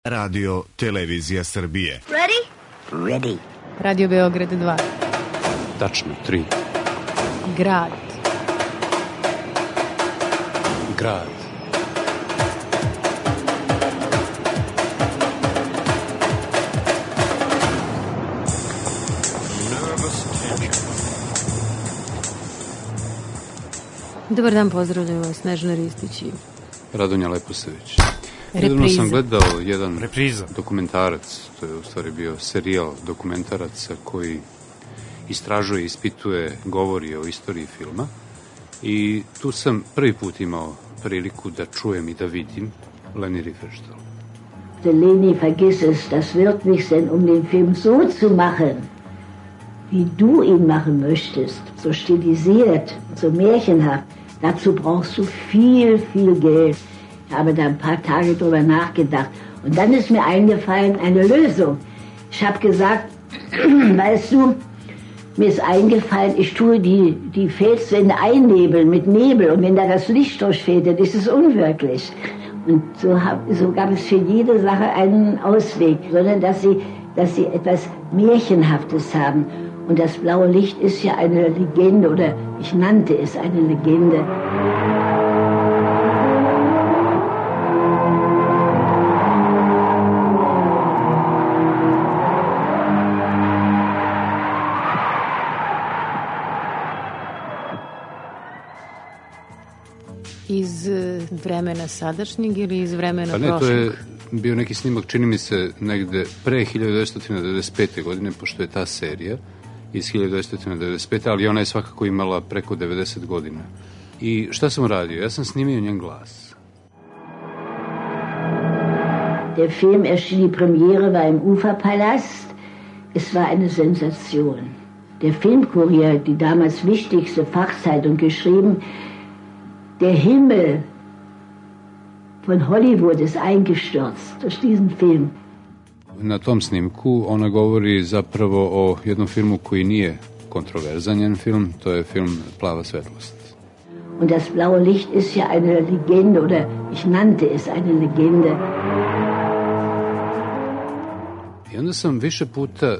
Radio Televizija Srbije. Ready? Ready. Radio Beograd 2. Tačno 3. Grad. Grad. Dobar dan, pozdravljam vas, Snežana Ristić i Radonja Leposević. Repriza. Nedavno sam gledao jedan dokumentarac, to je u stvari bio serijal dokumentaraca koji istražuje, ispituje, govori o istoriji filma i tu sam prvi put imao priliku da čujem i da vidim Leni Riefenstahl. Leni, vergiss es, das wird nicht sein, um den Film so zu machen, wie du ihn machen möchtest, so stilisiert, so märchenhaft. Dazu brauchst du viel, viel Geld. Ich habe da ein paar Tage drüber nachgedacht. Und dann ist mir eingefallen, eine Lösung. Ich habe gesagt, weißt du, mir ist eingefallen, ich tue die Felswände einnebeln mit Nebel. Und wenn da das Licht durchfällt, dann ist es unwirklich. Und so gab es für jede Sache einen Ausweg, sondern dass sie etwas Märchenhaftes haben. Und das blaue Licht ist ja eine Legende, oder ich nannte es eine Legende. iz vremena sadašnjeg ili iz vremena prošlog? Pa ne, to je bio neki snimak, čini mi se, negde pre 1995. godine, pošto je ta serija iz 1995. ali ona je svakako imala preko 90 godina. I šta sam radio? Ja sam snimio njen glas. Der Film erschien, die Premiere war im Uferpalast. Es war eine Sensation. Der Filmkurier, die damals wichtigste Fachzeitung, geschrieben, der Himmel von Hollywood ist eingestürzt durch diesen Film. Na tom snimku ona govori zapravo o jednom filmu koji nije kontroverzan njen film, to je film Plava svetlost. Und das blaue Licht ist ja eine Legende, oder ich nannte es eine Legende. I onda sam više puta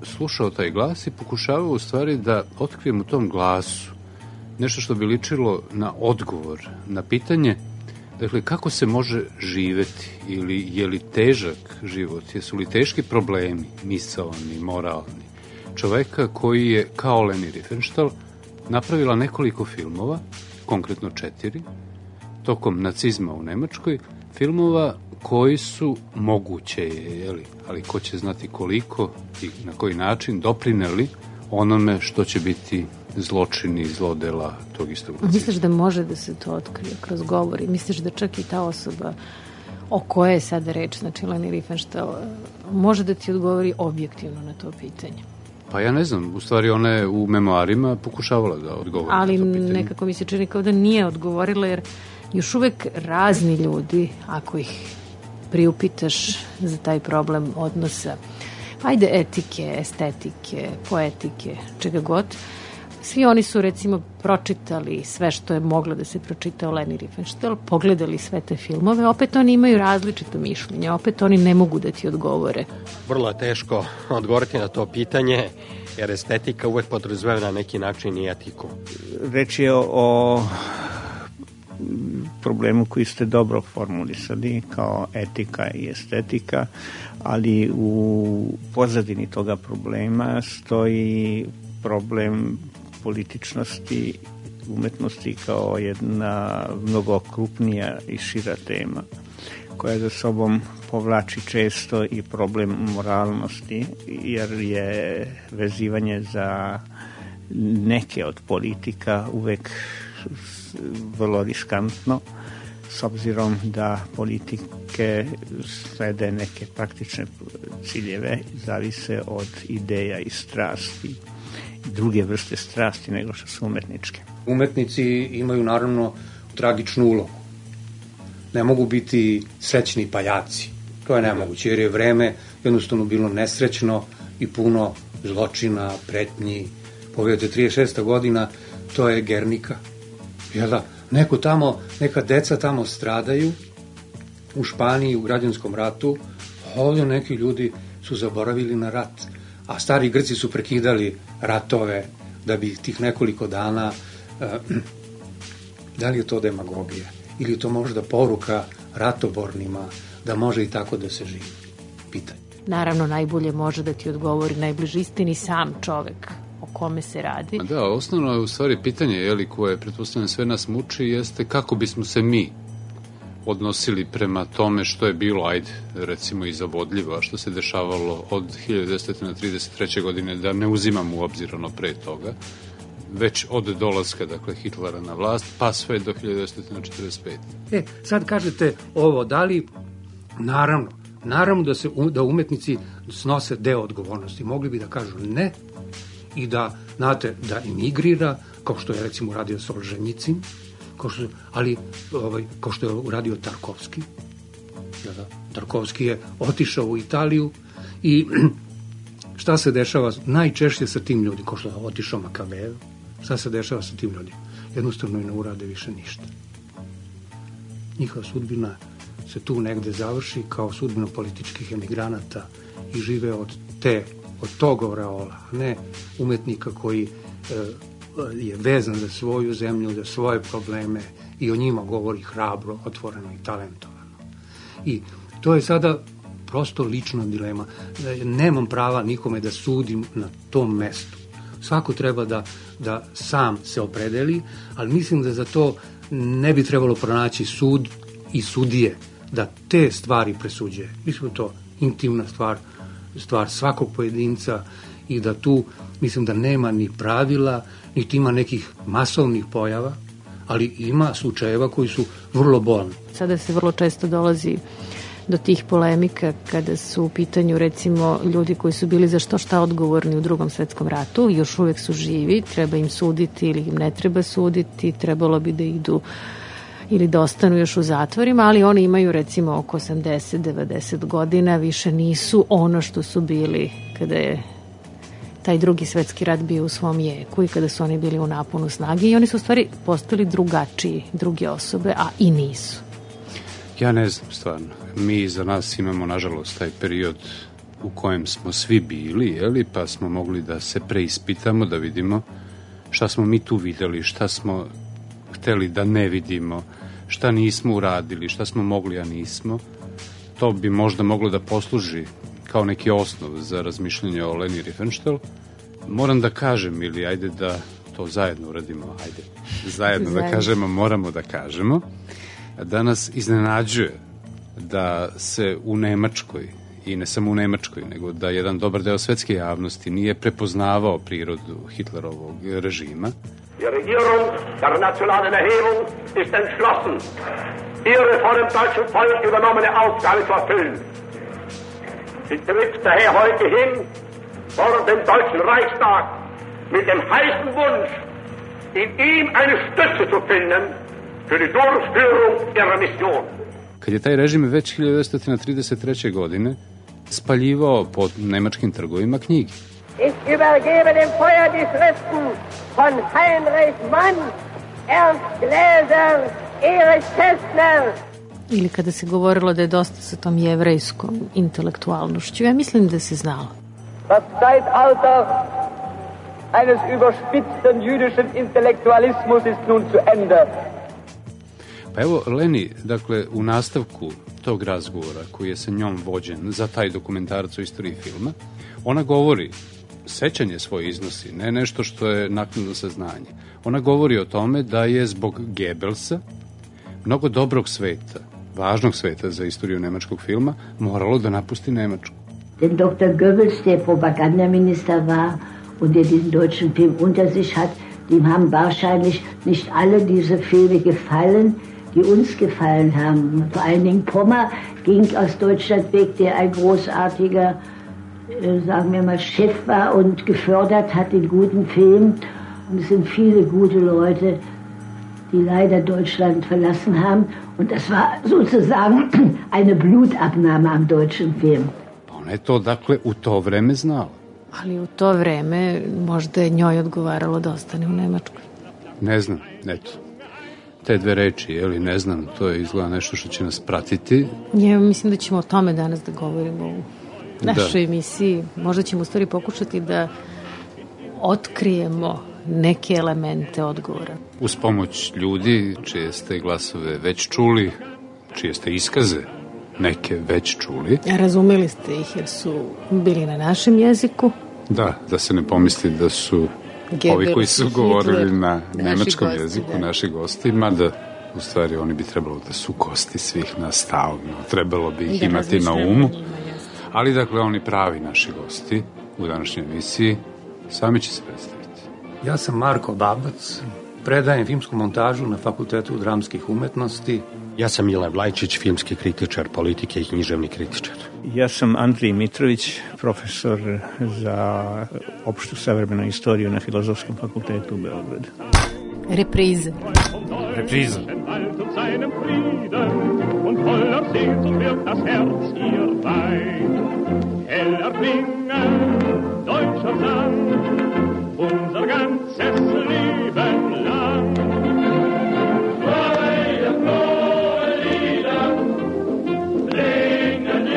slušao taj glas i pokušavao u stvari da otkrijem u tom glasu nešto što bi ličilo na odgovor, na pitanje, dakle, kako se može živeti ili je li težak život, jesu li teški problemi, misaoni, moralni, čoveka koji je, kao Leni Riefenstahl, napravila nekoliko filmova, konkretno 4, tokom nacizma u Nemačkoj, filmova koji su moguće, ali ko će znati koliko i na koji način doprineli onome što će biti zločini i zlodela tog istog nacizma. Misliš da može da se to otkrije kroz govori? Misliš da čak i ta osoba o kojoj je sada reč, znači Leni Riefenstahl, može da ti odgovori objektivno na to pitanje? Pa ja ne znam, u stvari ona je u memoarima pokušavala da odgovori na to pitanje. Ali nekako mi se čini kao da nije odgovorila, jer još uvek razni ljudi, ako ih priupitaš za taj problem odnosa, ajde etike, estetike, poetike, čega god, svi oni su recimo pročitali sve što je moglo da se pročita o Leni Riefenstahl, pogledali sve te filmove, opet oni imaju različito mišljenje, opet oni ne mogu da ti odgovore. Vrlo je teško odgovoriti na to pitanje, jer estetika uvek podrazumeva na neki način i etiku. Reč je o problemu koji ste dobro formulisali kao etika i estetika, ali u pozadini toga problema stoji problem političnosti umetnosti kao jedna mnogo krupnija i šira tema koja za sobom povlači često i problem moralnosti, jer je vezivanje za neke od politika uvek vrlo riskantno, s obzirom da politike slede neke praktične ciljeve, zavise od ideja i strasti, druge vrste strasti nego što su umetničke. Umetnici imaju naravno tragičnu ulogu. Ne mogu biti srećni pajaci. To je nemoguće, jer je vreme jednostavno bilo nesrećno i puno zločina, pretnji. Pogledajte, 36. godina, to je Gernika. Jel da? Neko tamo, neka deca tamo stradaju u Španiji, u građanskom ratu, ovdje neki ljudi su zaboravili na rat, a stari Grci su prekidali ratove da bi tih nekoliko dana, da li je to demagogija ili je to možda poruka ratobornima da može i tako da se živi? Pitanje. Naravno, najbolje može da ti odgovori najbliži istini sam čovek o kome se radi. Da, osnovno je u stvari pitanje, koje pretpostavljam sve nas muči, jeste kako bismo se mi odnosili prema tome što je bilo, recimo i zavodljivo, a što se dešavalo od 1933. godine, da ne uzimamo u obzir ono pre toga, već od dolaska, dakle, Hitlera na vlast, pa sve do 1945. Sad kažete ovo, da li, naravno da umetnici snose deo odgovornosti. Mogli bi da kažu ne i da, znate, da imigrira, kao što je recimo uradio Solženjicin, kao što je uradio Tarkovski. Tarkovski je otišao u Italiju i šta se dešava najčešće sa tim ljudima, kao što je otišao Makavejev, šta se dešava sa tim ljudima? Jednostavno i ne urade više ništa. Njihova sudbina se tu negde završi kao sudbina političkih emigranata i žive od tog oreola, a ne umetnika koji je vezan za svoju zemlju, za svoje probleme i o njima govori hrabro, otvoreno i talentovano. I to je sada prosto lična dilema. Nemam prava nikome da sudim na tom mestu. Svako treba da sam se opredeli, ali mislim da za to ne bi trebalo pronaći sud i sudije da te stvari presuđuje. Mislim da to intimna stvar svakog pojedinca i da tu mislim da nema ni pravila, niti ima nekih masovnih pojava, ali ima slučajeva koji su vrlo bolni. Sada se vrlo često dolazi do tih polemika kada su u pitanju recimo ljudi koji su bili za šta odgovorni u Drugom svetskom ratu, još uvek su živi, treba im suditi ili im ne treba suditi, trebalo bi da idu ili da ostanu još u zatvorima, ali oni imaju recimo oko 80-90 godina, više nisu ono što su bili kada je taj Drugi svetski rat bio u svom jeku i kada su oni bili u naponu snage i oni su u stvari postali drugačiji, druge osobe, a i nisu. Ja ne znam stvarno. Mi za nas imamo, nažalost, taj period u kojem smo svi bili, pa smo mogli da se preispitamo, da vidimo šta smo mi tu videli, šta smo hteli da ne vidimo, šta nismo uradili, šta smo mogli, a nismo. To bi možda moglo da posluži kao neki osnov za razmišljanje o Leni Riefenstahl. Moram da kažem, ili ajde da to zajedno uradimo, zajedno da kažemo, moramo da kažemo, da nas iznenađuje da se u Nemačkoj, i ne samo u Nemačkoj, nego da jedan dobar deo svetske javnosti nije prepoznavao prirodu Hitlerovog režima. Die Regierung der nationalen Erhebung ist entschlossen, ihre von dem deutschen Volk übernommene Aufgabe zu erfüllen. Sie tritt daher heute hin vor dem Deutschen Reichstag mit dem heißen Wunsch, in ihm eine Stütze zu finden für die Durchführung ihrer Mission. Kad je taj režim već 1933. godine spaljivao po nemačkim trgovima knjige. Ich übergebe dem Feuer die Schriften von Heinrich Mann, Ernst Gläser, Erich Kästner. Ili kada se govorilo da je dosta sa tom jevrejskom intelektualnošću, ja mislim da se znalo. Das Zeitalter eines überspitzten jüdischen Intellektualismus ist nun zu Ende. Pa evo, Leni, dakle, u nastavku tog razgovora koji je sa njom vođen za taj dokumentarac o istoriji filma, ona govori, sećanje svoje iznosi, ne nešto što je naknadno saznanje. Ona govori o tome da je zbog Goebbelsa mnogo dobrog sveta, važnog sveta za istoriju nemačkog filma, moralo da napusti Nemačku. Denn Dr. Goebbels, der Propagandaminister war und der diesen deutschen Film unter sich hat, dem haben wahrscheinlich nicht alle diese Filme gefallen, die uns gefallen haben. Vor allen Dingen Pommer ging aus Deutschland weg, der ein großartiger, sagen wir mal, Chef war und gefördert hat den guten Film. Und es sind viele gute Leute, die leider Deutschland verlassen haben. Und das war sozusagen eine Blutabnahme am deutschen Film. Pa ona je to, dakle, u to vreme znala. Ali u to vreme možda je njoj odgovaralo da ostane u Nemačkoj. Ne znam, eto. te dve reči, ili ne znam, to je izgleda nešto što će nas pratiti. Ja mislim da ćemo o tome danas da govorimo u našoj emisiji. Možda ćemo u stvari pokušati da otkrijemo neke elemente odgovora. Uz pomoć ljudi čije ste glasove već čuli, čije ste iskaze neke već čuli. Razumeli ste ih jer su bili na našem jeziku. Da se ne pomisli da su ovi koji su govorili na nemačkom jeziku, naši gosti, mada u stvari oni bi trebalo da su gosti svih nas stalno, trebalo bi ih imati na umu. Ali dakle, oni pravi naši gosti u današnjoj emisiji sami će se predstaviti. Ja sam Marko Babac, predajem filmsku montažu na Fakultetu dramskih umetnosti. Ja sam Milan Vlajčić, filmski kritičar politike i književni kritičar. Ja sam Andrij Mitrović, profesor za opštu savremenu istoriju na Filozofskom fakultetu u Beogradu. Reprize. Unser ganzes Leben lang. Freie, frohe Lieder klingen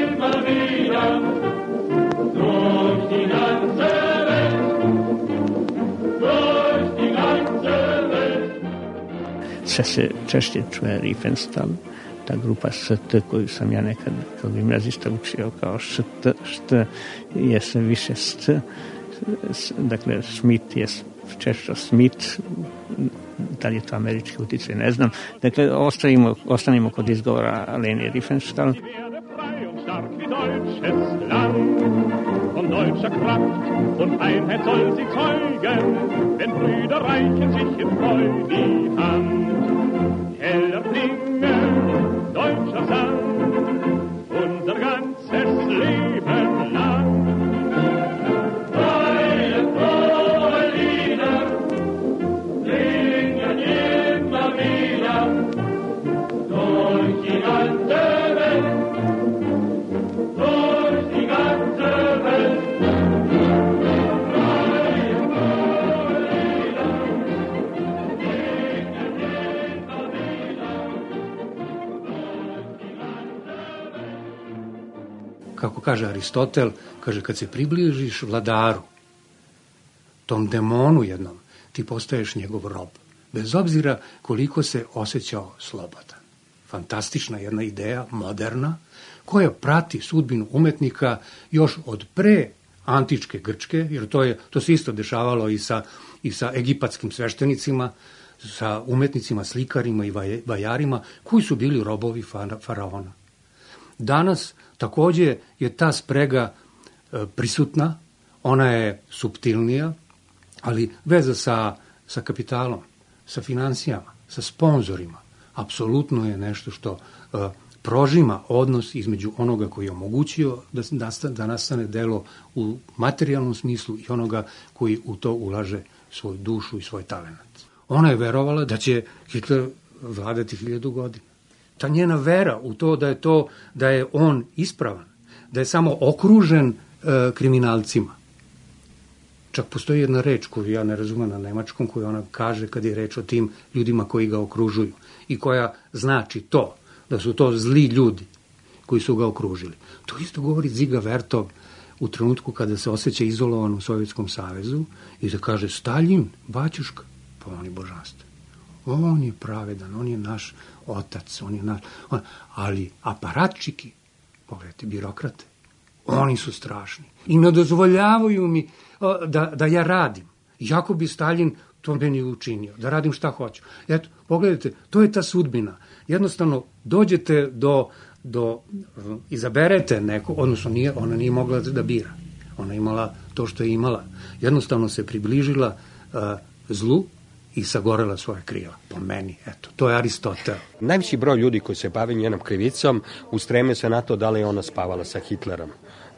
immer wieder durch die ganze Welt, durch die ganze Welt. Sve se češće čuje Riefenstahl, ta grupa ST koju sam ja nekad kao gimnazista učio kao št je sve više st. Dakle, Schmidt je češće Smith, da li je to američki uticaj, ne znam. Dakle, ostanimo kod izgovora Leni Riefenstahl. Von deutscher Kraft und Einheit soll sie zeugen, wenn Brüder reichen sich in Freude die Hand. Heller klingen deutscher Sang, unser ganzes Leben lang. Kako kaže Aristotel, kaže kad se približiš vladaru, tom demonu jednom, ti postaješ njegov rob. Bez obzira koliko se osjećao slobodan. Fantastična jedna ideja, moderna, koja prati sudbinu umetnika još od pre antičke Grčke, jer to se isto dešavalo i sa egipatskim sveštenicima, sa umetnicima, slikarima i vajarima, koji su bili robovi faraona. Danas takođe je ta sprega prisutna, ona je suptilnija, ali veza sa kapitalom, sa finansijama, sa sponzorima, apsolutno je nešto što prožima odnos između onoga koji je omogućio da nastane delo u materijalnom smislu i onoga koji u to ulaže svoju dušu i svoj talenat. Ona je verovala da će Hitler vladati 1000 godina. Ta njena vera u to da je on ispravan, da je samo okružen kriminalcima. Čak postoji jedna reč koju ja ne razumem na nemačkom, koju ona kaže kad je reč o tim ljudima koji ga okružuju i koja znači to, da su to zli ljudi koji su ga okružili. To isto govori Dziga Vertov u trenutku kada se osjeća izolovan u Sovjetskom savezu i da kaže Staljin, baćuška, pa on je božanstven. On je pravedan, on je naš otac, on je naš... Ali aparatčiki, pogledajte, birokrate, oni su strašni i ne dozvoljavaju mi da ja radim. Jako bi Staljin to meni učinio, da radim šta hoću. Eto, pogledajte, to je ta sudbina. Jednostavno, dođete izaberete neko, odnosno ona nije mogla da bira. Ona je imala to što je imala. Jednostavno se približila zlu i sagorela svoje krila. Po meni, eto, to je Aristotel. Najveći broj ljudi koji se bavi njenom krivicom ustreme se na to da li je ona spavala sa Hitlerom,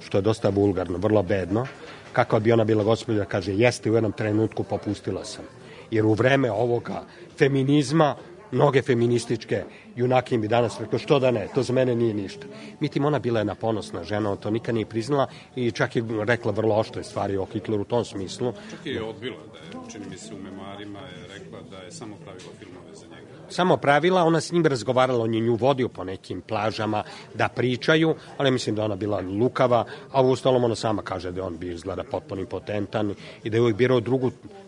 što je dosta vulgarno, vrlo bedno. Kako bi ona bila gospođa, kaže, jeste, u jednom trenutku popustila sam. Jer u vreme ovoga feminizma mnoge feminističke junakin bi danas rekao, što da ne, to za mene nije ništa. Međutim, ona bila jedna ponosna žena, on to nikad nije priznala i čak je rekla vrlo oštre stvari o Hitleru u tom smislu. Čak je odbila da je, čini mi se u memoarima je rekla da je samo pravila filmove za njega. Samo pravila, ona s njim razgovarala, on je nju vodio po nekim plažama da pričaju, ali mislim da ona bila lukava, a u ostalom ona sama kaže da on bi izgleda potpuno impotentan i da je uvijek birao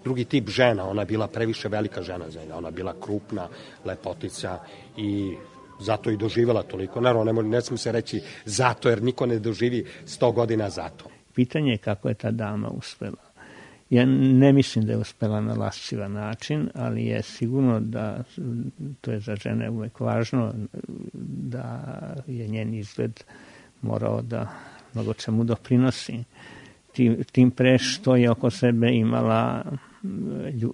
drugi tip žena, ona je bila previše velika žena za njega, ona je bila krupna, lepotica i zato i doživjela toliko. Naravno, ne smije se reći zato, jer niko ne doživi 100 godina zato. Pitanje je kako je ta dama uspela. Ja ne mislim da je uspela na lascivan način, ali je sigurno da, to je za žene uvek važno, da je njen izgled morao da mnogo čemu doprinosi. Tim pre što je oko sebe imala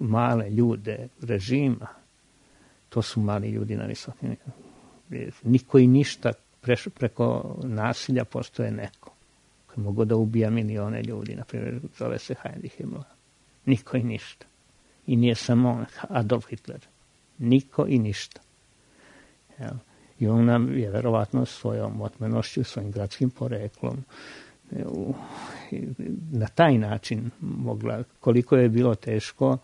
male ljude režima. To su mali ljudi na visokim. Niko i ništa, preko nasilja postoje neko. Mogu da ubija milione ljudi, na primjer, zove se Heinrich Himmler. Niko i ništa. I nije samo Adolf Hitler. Niko i ništa. I ona je verovatno svojom otmenošću, svojim gradskim poreklom na taj način mogla, koliko je bilo teško,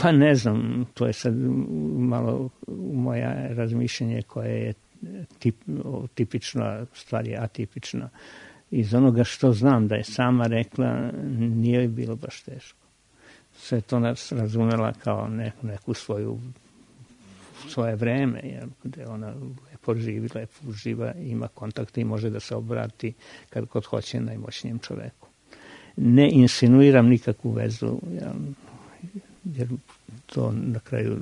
pa ne znam, to je sad malo moja razmišljenje koje je tipična, stvar je atipična. Iz onoga što znam da je sama rekla, nije bilo baš teško. Sve to nas razumela kao neku svoje vreme, jer gde ona lepo živa, ima kontakte i može da se obrati kad god hoće najmoćnijem čoveku. Ne insinuiram nikakvu vezu, jer to na kraju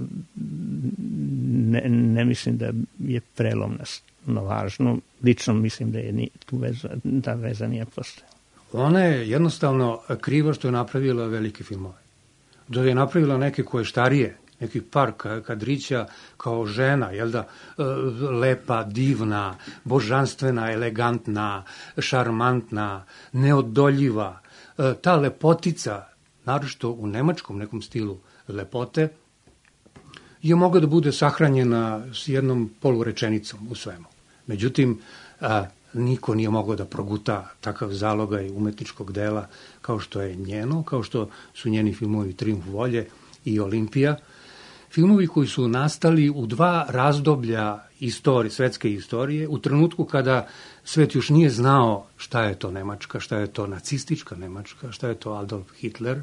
ne mislim da je prelomna važno. Lično mislim da je ta veza nije postojala. Ona je jednostavno kriva što je napravila velike filmove. Da je napravila neke koje starije, neki par kadrića kao žena, jel da, lepa, divna, božanstvena, elegantna, šarmantna, neodoljiva. Ta lepotica, naročito u nemačkom nekom stilu lepote, je mogla da bude sahranjena s jednom polurečenicom u svemu. Međutim, niko nije mogao da proguta takav zalogaj umetničkog dela kao što je njeno, kao što su njeni filmovi Trijumf volje i Olimpija. Filmovi koji su nastali u dva razdoblja svetske istorije, u trenutku kada svet još nije znao šta je to Nemačka, šta je to nacistička Nemačka, šta je to Adolf Hitler,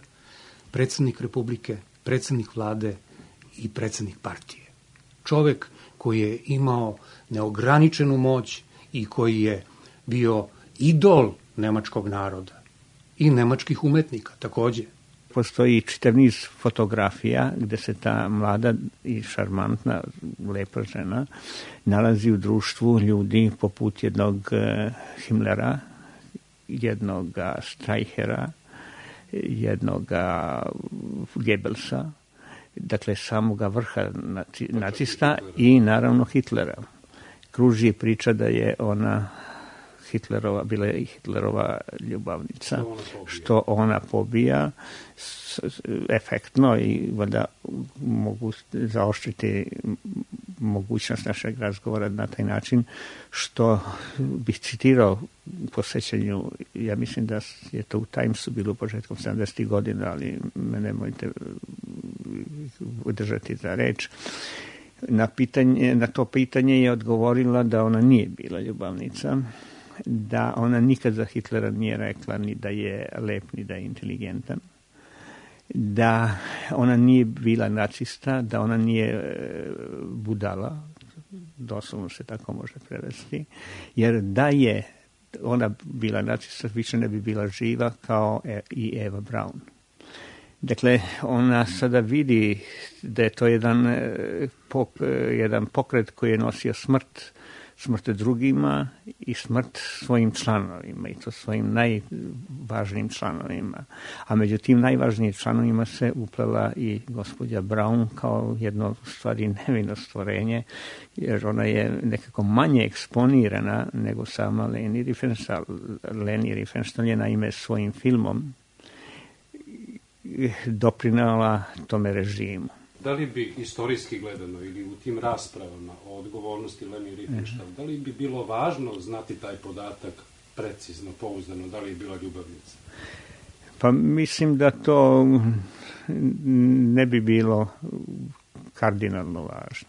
predsjednik Republike, predsjednik vlade i predsjednik partije. Čovek koji je imao neograničenu moć i koji je bio idol nemačkog naroda i nemačkih umetnika takođe. Postoji čitav niz fotografija gde se ta mlada i šarmantna, lepa žena nalazi u društvu ljudi poput jednog Himmlera, jednog Streichera, jednog Goebbelsa, dakle samoga vrha nacista i naravno Hitlera. Kruži priča da je ona bila je i Hitlerova ljubavnica, što ona pobija efektno i valjda mogu zaoštriti mogućnost našeg razgovora na taj način, što bih citirao po sećanju, ja mislim da je to u Timesu bilo početkom 70. godina, ali me nemojte udržati za reč. Na to pitanje je odgovorila da ona nije bila ljubavnica, da ona nikad za Hitlera nije rekla ni da je lep, ni da je inteligentan, da ona nije bila nacista, da ona nije budala, doslovno se tako može prevesti, jer da je ona bila nacista, više ne bi bila živa kao i Eva Braun. Dakle, ona sada vidi da je to jedan pokret koji je nosio smrt drugima i smrt svojim članovima, i to svojim najvažnijim članovima. A među tim najvažnijim članovima se uplela i gospođa Braun kao jedno stvari nevino stvorenje, jer ona je nekako manje eksponirana nego sama Leni Riefenstahl. Leni Riefenstahl je naime svojim filmom doprinala tome režimu. Da li bi istorijski gledano ili u tim raspravama o odgovornosti Leni Riefenstahl, da li bi bilo važno znati taj podatak precizno, pouzdano, da li je bila ljubavnica? Pa mislim da to ne bi bilo kardinalno važno.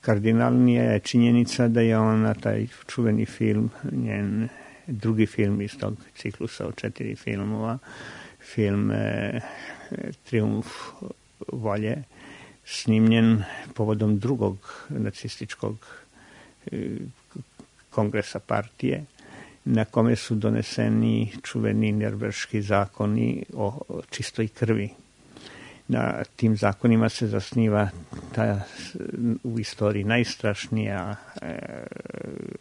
Kardinalnija je činjenica da je ona taj čuveni film, njen drugi film iz tog ciklusa od 4 filmova, film Trijumf volje, snimljen povodom drugog nacističkog kongresa partije, na kome su doneseni čuveni nirnberški zakoni o čistoj krvi. Na tim zakonima se zasniva ta u istoriji najstrašnija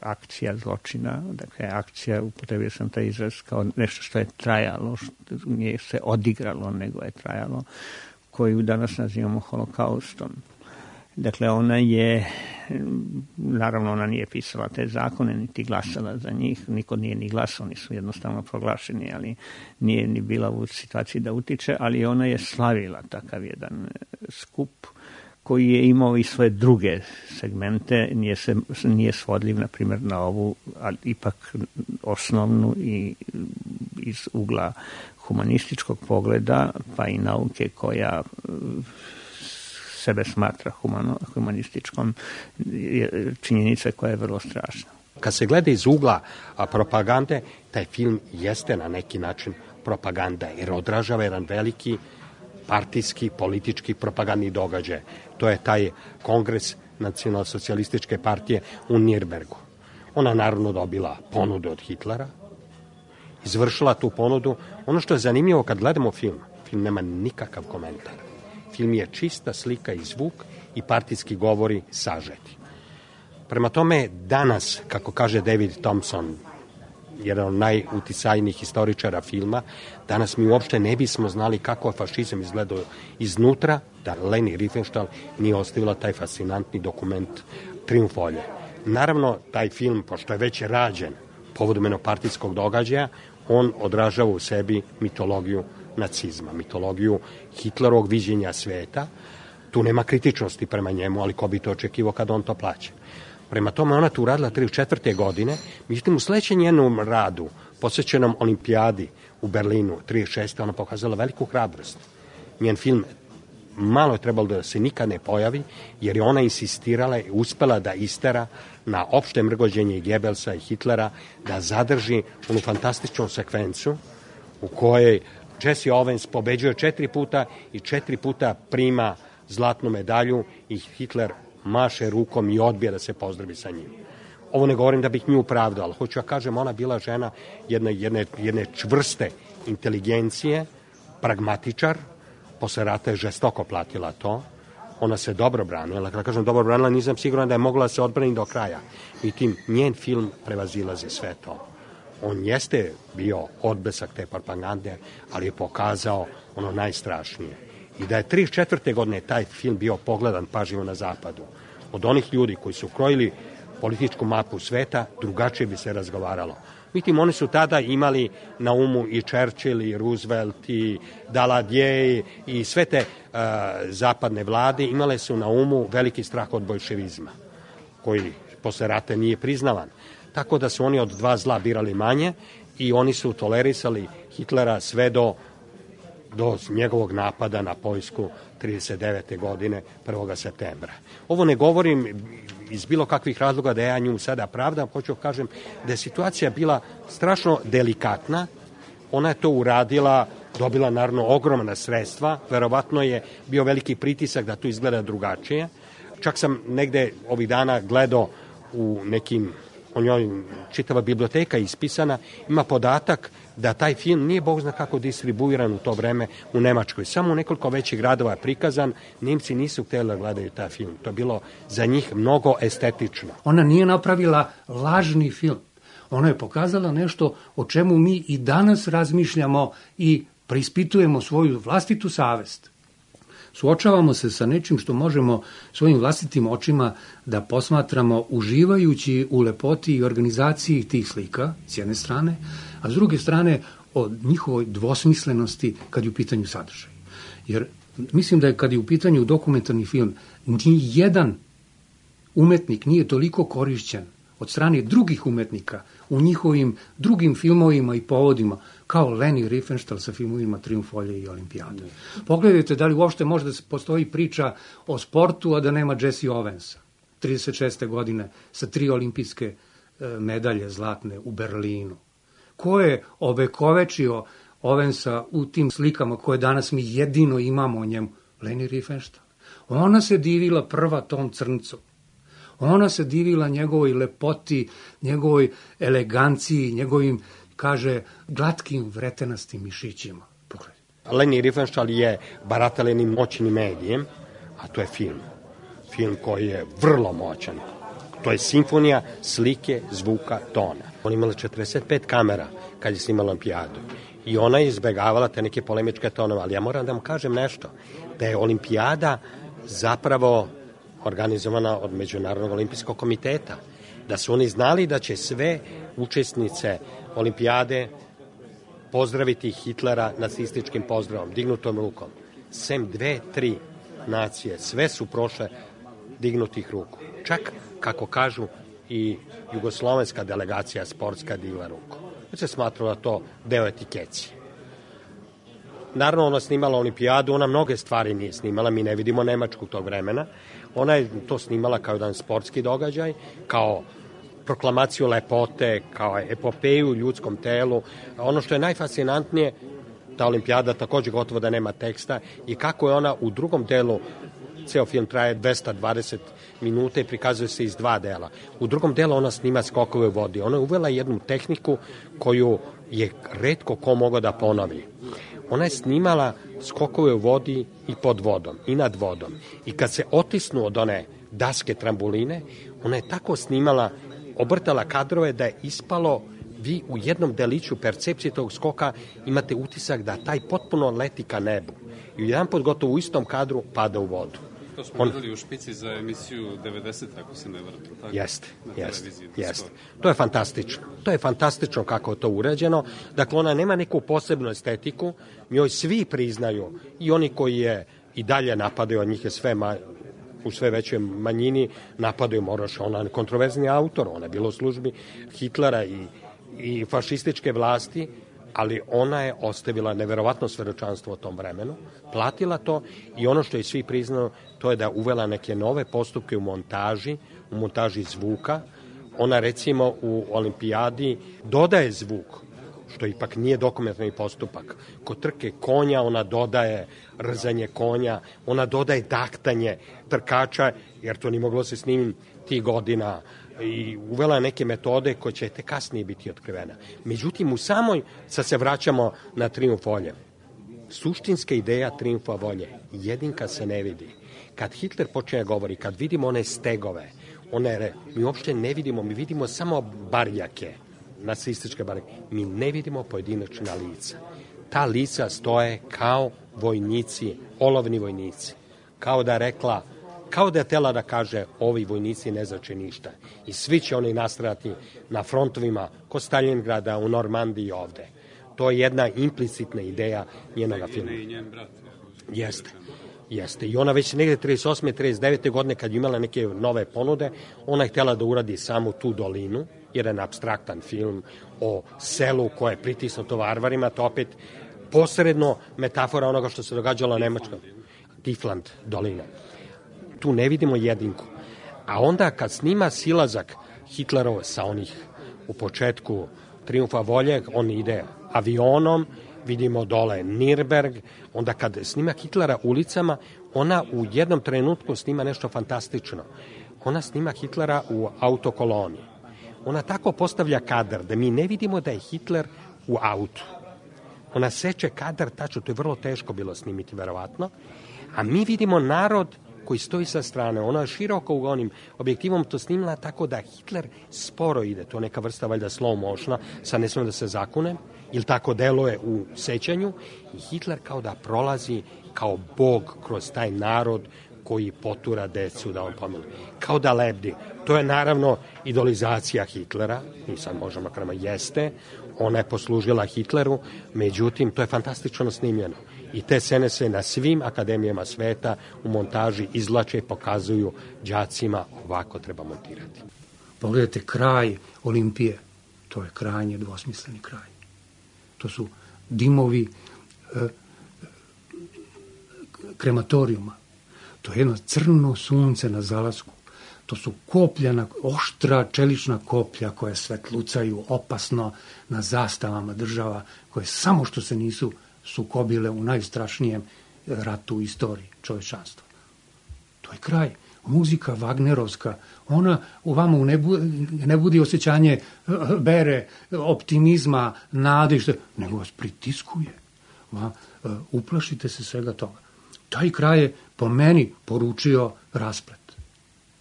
akcija zločina, dakle akcija, upotrebio sam taj izraz kao nešto što je trajalo, što nije se odigralo, nego je trajalo, koju danas nazivamo holokaustom. Dakle, ona je, naravno ona nije pisala te zakone, niti glasala za njih, niko nije ni glasao, oni su jednostavno proglašeni, ali nije ni bila u situaciji da utiče, ali ona je slavila takav jedan skup koji je imao i svoje druge segmente, nije svodljiv, na primjer, na ovu, ali ipak osnovnu i iz ugla humanističkog pogleda, pa i nauke koja sebe smatra humanističkom, činjenica koja je vrlo strašna. Kad se gleda iz ugla propagande, taj film jeste na neki način propaganda, jer odražava jedan veliki partijski, politički propagandni događaj. To je taj kongres nacionalsocijalističke partije u Nirnbergu. Ona naravno dobila ponudu od Hitlera, izvršila tu ponudu. Ono što je zanimljivo kad gledamo film nema nikakav komentar. Film je čista slika i zvuk i partijski govori sažeti. Prema tome, danas, kako kaže David Thompson, jedan od najuticajnijih historičara filma, danas mi uopšte ne bismo znali kako je fašizam izgledao iznutra, da Leni Riefenstahl nije ostavila taj fascinantni dokument Trijumf volje. Naravno, taj film, pošto je već rađen povodom jednopartijskog događaja, on odražava u sebi mitologiju nacizma, mitologiju Hitlerovog viđenja sveta. Tu nema kritičnosti prema njemu, ali ko bi to očekivao kada on to plaća. Prema tome, ona tu uradila 34. godine, međutim u sledećem njenom radu, posvećenom olimpijadi u Berlinu, 36. ona pokazala veliku hrabrost. Njen film malo je trebalo da se nikad ne pojavi, jer je ona insistirala i uspela da istera na opšte mrgođenje Gebelsa i Hitlera, da zadrži onu fantastičnu sekvencu u kojoj Jesse Owens pobeđuje 4 puta i 4 puta prima zlatnu medalju i Hitler maše rukom i odbija da se pozdravi sa njim. Ovo ne govorim da bih nju pravdao, ali hoću ja kažem, ona bila žena jedne čvrste inteligencije, pragmatičar, posle rata je žestoko platila to, ona se dobro branila, kada kažem dobro branila, nisam siguran da je mogla da se odbrani do kraja. I tim njen film prevazilazi sve to. On jeste bio odbesak te propagande, ali je pokazao ono najstrašnije. I da je 34. godine taj film bio pogledan pažljivo na zapadu. Od onih ljudi koji su krojili političku mapu sveta, drugačije bi se razgovaralo. Međutim, oni su tada imali na umu i Churchill, i Roosevelt, i Daladier, i sve te zapadne vlade imale su na umu veliki strah od bolševizma, koji posle rata nije priznavan. Tako da su oni od dva zla birali manje i oni su tolerisali Hitlera sve do njegovog napada na Poljsku 39. godine 1. septembra. Ovo ne govorim iz bilo kakvih razloga da ja nju sada pravdam, hoću kažem da je situacija bila strašno delikatna, ona je to uradila, dobila naravno ogromna sredstva, verovatno je bio veliki pritisak da to izgleda drugačije. Čak sam negde ovih dana gledao u nekim, o njoj čitava biblioteka ispisana, ima podatak da taj film nije bog zna kako distribuiran u to vreme u Nemačkoj. Samo u nekoliko većih gradova je prikazan, Nemci nisu htjeli da gledaju taj film. To je bilo za njih mnogo estetično. Ona nije napravila lažni film. Ona je pokazala nešto o čemu mi i danas razmišljamo i preispitujemo svoju vlastitu savest. Suočavamo se sa nečim što možemo svojim vlastitim očima da posmatramo uživajući u lepoti i organizaciji tih slika, s jedne strane, a s druge strane o njihovoj dvosmislenosti kad je u pitanju sadržaj. Jer Mislim da je kad je u pitanju dokumentarni film, ni jedan umetnik nije toliko korišćen od strane drugih umetnika u njihovim drugim filmovima i povodima, kao Leni Riefenstahl sa filmovima Trijumf volje i Olimpijada. Pogledajte da li uopšte može da postoji priča o sportu, a da nema Jesse Owensa, 36. godine, sa 3 olimpijske medalje zlatne u Berlinu. Ko je ovekovečio Owensa u tim slikama koje danas mi jedino imamo o njemu? Leni Riefenstahl. Ona se divila prva tom crncu. Ona se divila njegovoj lepoti, njegovoj eleganciji, njegovim, kaže, glatkim vretenastim mišićima. Pogledaj. Leni Riefenstahl je baratala jednim moćnim medijem, a to je film. Film koji je vrlo moćan. To je simfonija slike, zvuka, tona. Ona imala 45 kamera kad je snimala Olimpijadu. I ona je izbegavala te neke polemičke tonove. Ali ja moram da vam kažem nešto. Da je Olimpijada zapravo organizovana od Međunarodnog olimpijskog komiteta. Da su oni znali da će sve učesnice Olimpijade pozdraviti Hitlera nacističkim pozdravom, dignutom rukom. Sem 2-3 nacije, sve su prošle dignutih ruku. Čak, kako kažu, i jugoslovenska delegacija sportska digla ruku. Već se smatralo da to deo etikecije. Naravno, ona snimala Olimpijadu, ona mnoge stvari nije snimala, mi ne vidimo Nemačku tog vremena. Ona je to snimala kao jedan sportski događaj, kao proklamaciju lepote, kao epopeju u ljudskom telu. Ono što je najfascinantnije, ta Olimpijada takođe gotovo da nema teksta i kako je ona u drugom delu, ceo film traje 220 minuta i prikazuje se iz 2 dela. U drugom delu ona snima skokove u vodi. Ona je uvela jednu tehniku koju je retko ko mogao da ponovi. Ona je snimala skokove u vodi i pod vodom, i nad vodom. I kad se otisnu od one daske trambuline, ona je tako snimala, obrtala kadrove da je ispalo, vi u jednom deliću percepcije tog skoka imate utisak da taj potpuno leti ka nebu. I jedan pot gotovo u istom kadru pada u vodu. To smo gledali u špici za emisiju 90, ako se ne vrlo. Jeste. To je fantastično. To je fantastično kako je to urađeno. Dakle, ona nema neku posebnu estetiku, njoj svi priznaju, i oni koji je i dalje napadaju, od njih je u sve većoj manjini, napadaju Moroša. Ona je kontroverzni autor, ona je bila u službi Hitlera i fašističke vlasti, ali ona je ostavila neverovatno svedočanstvo o tom vremenu, platila to i ono što je svi priznao, to je da uvela neke nove postupke u montaži zvuka. Ona recimo u Olimpijadi dodaje zvuk, što ipak nije dokumentarni postupak. Kod trke konja ona dodaje rzanje konja, ona dodaje daktanje trkača, jer to nije moglo se snimiti tih godina, i uvela neke metode koje će te kasnije biti otkrivena. Međutim, u samoj, sad se vraćamo na Trijumf volje. Suštinska ideja Trijumfa volje, jedinka se ne vidi. Kad Hitler počne govori, kad vidimo one stegove, mi uopšte ne vidimo, mi vidimo samo barjake, nacističke barjake. Mi ne vidimo pojedinačna lica. Ta lica stoje kao vojnici, olovni vojnici. Kao da je htela da kaže, ovi vojnici ne znači ništa. I svi će oni nastradati na frontovima kod Stalingrada, u Normandiji i ovde. To je jedna implicitna ideja njenoga filma. I njen brat. Jeste. I ona već negde 38. 39. godine, kad je imala neke nove ponude, ona je htela da uradi samo tu dolinu, jedan apstraktan film o selu koje je pritisnuto varvarima, to opet posredno metafora onoga što se događalo u Nemačkoj. Tifland dolina. Tu ne vidimo jedinku. A onda kad snima silazak Hitlerov sa onih u početku Trijumfa volje, on ide avionom, vidimo dole Nürnberg, onda kad snima Hitlera ulicama, ona u jednom trenutku snima nešto fantastično. Ona snima Hitlera u autokoloni. Ona tako postavlja kadar da mi ne vidimo da je Hitler u autu. Ona seče kadar tačno, to je vrlo teško bilo snimiti, verovatno, a mi vidimo narod koji stoji sa strane. Ona je široko u onim objektivom to snimila tako da Hitler sporo ide. To je neka vrsta valjda slow motiona, sad ne smijem da se zakune, ili tako deluje u sećanju, i Hitler kao da prolazi kao bog kroz taj narod koji potura decu da on pomili. Kao da lebdi. To je naravno idolizacija Hitlera, i sad možemo krema jeste, ona je poslužila Hitleru, međutim, to je fantastično snimljeno. I te scene se na svim akademijama sveta u montaži izvlače i pokazuju đacima ovako treba montirati. Pogledajte kraj Olimpije, to je krajnje dvosmisleni kraj. To su dimovi krematorijuma. To je jedno crno sunce na zalasku. To su koplja, oštra čelična koplja koja svetlucaju opasno na zastavama država koje samo što se nisu sukobile u najstrašnijem ratu u istoriji čovečanstva. To je kraj. Muzika Wagnerovska, ona u vama ne budi osjećanje vere, optimizma, nade, nego vas pritiskuje. Uplašite se svega toga. Taj kraj je po meni poručio rasplet.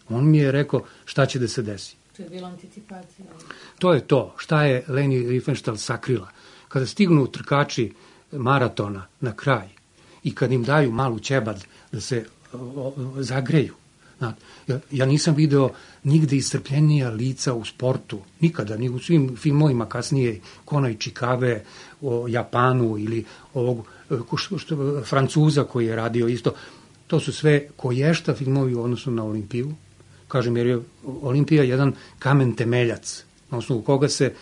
On mi je rekao šta će da se desi. To je bila anticipacija. To je to. Šta je Leni Riefenstahl sakrila. Kada stignu trkači maratona na kraj i kad im daju malu ćebad da se zagreju. Ja nisam video nigde iscrpljenija lica u sportu. Nikada, ni u svim filmovima kasnije Kona i Čikave o Japanu ili ovog Francuza koji je radio isto. To su sve koješta filmovi u odnosu na Olimpiju. Kažem, jer je Olimpija jedan kamen temeljac, na osnovu koga se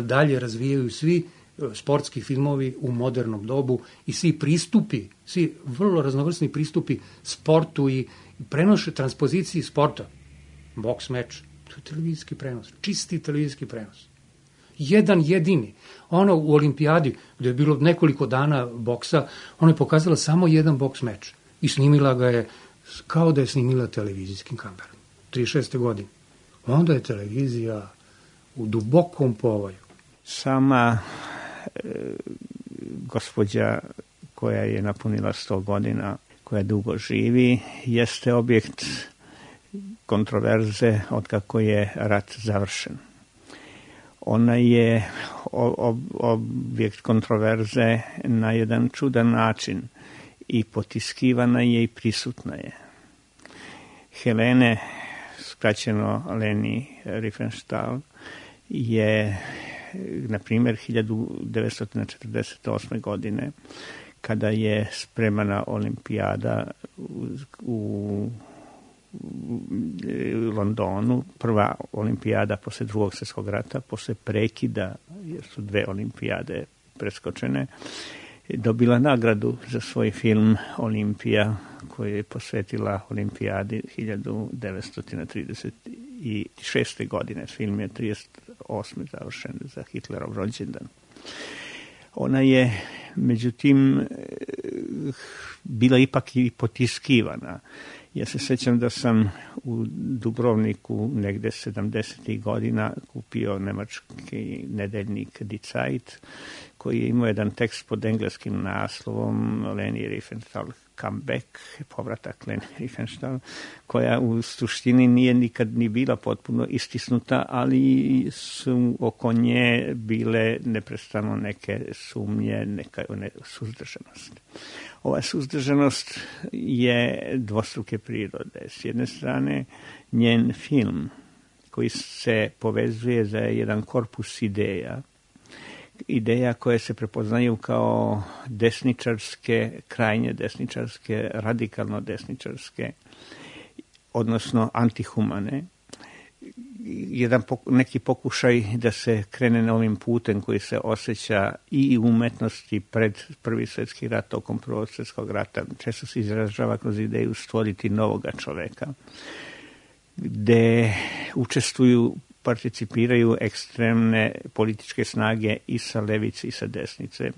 dalje razvijaju svi sportski filmovi u modernom dobu i svi pristupi, svi vrlo raznovrsni pristupi sportu i prenoše transpoziciji sporta. Boks meč, to je televizijski prenos, čisti televizijski prenos. Jedan jedini. Ona u olimpijadi, gde je bilo nekoliko dana boksa, ona je pokazala samo jedan boks meč i snimila ga je kao da je snimila televizijskim kamerom. 36. godine. Onda je televizija u dubokom povoju. Sama gospođa koja je napunila 100 godina, koja dugo živi, jeste objekt kontroverze od kako je rat završen. Ona je objekt kontroverze na jedan čudan način i potiskivana je i prisutna je. Helene, skraćeno Leni Riefenstahl, je, na primjer, 1948. godine, kada je spremana olimpijada u Londonu, prva olimpijada posle Drugog svjetskog rata, posle prekida, jer su 2 olimpijade preskočene, dobila nagradu za svoj film Olimpija, koju je posvetila olimpijadi 1936. godine. Film je 1938. završen za Hitlerov rođendan. Ona je, međutim, bila ipak i potiskivana. Ja se sećam da sam u Dubrovniku negde 70. godina kupio nemački nedeljnik Die Zeit, koji je imao jedan tekst pod engleskim naslovom Leni Riefenstahl Comeback, povratak Leni Riefenstahl, koja u suštini nije nikad ni bila potpuno istisnuta, ali su oko nje bile neprestano neke sumnje, neka suzdržanost. Ova suzdržanost je dvostruke prirode. S jedne strane, njen film koji se povezuje za jedan korpus ideja koje se prepoznaju kao desničarske, krajnje desničarske, radikalno desničarske, odnosno antihumane. Neki pokušaj da se krene novim putem koji se osjeća i u umetnosti pred Prvi svjetski rat, tokom Prvog svjetskog rata. Često se izražava kroz ideju stvoriti novoga čoveka, gde učestvuju, participiraju ekstremne političke snage i sa levice i sa desnice,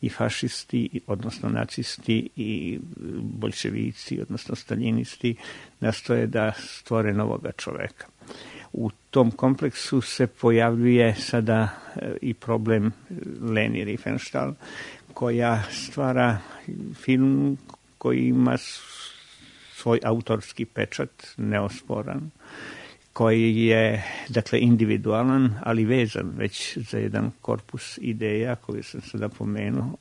i fašisti, odnosno nacisti, i boljševici, odnosno staljinisti, nastoje da stvore novoga čoveka. U tom kompleksu se pojavljuje sada i problem Leni Riefenstahl, koja stvara film koji ima svoj autorski pečat, neosporan, koji je, dakle, individualan, ali vezan već za jedan korpus ideja koji sam sada pomenuo,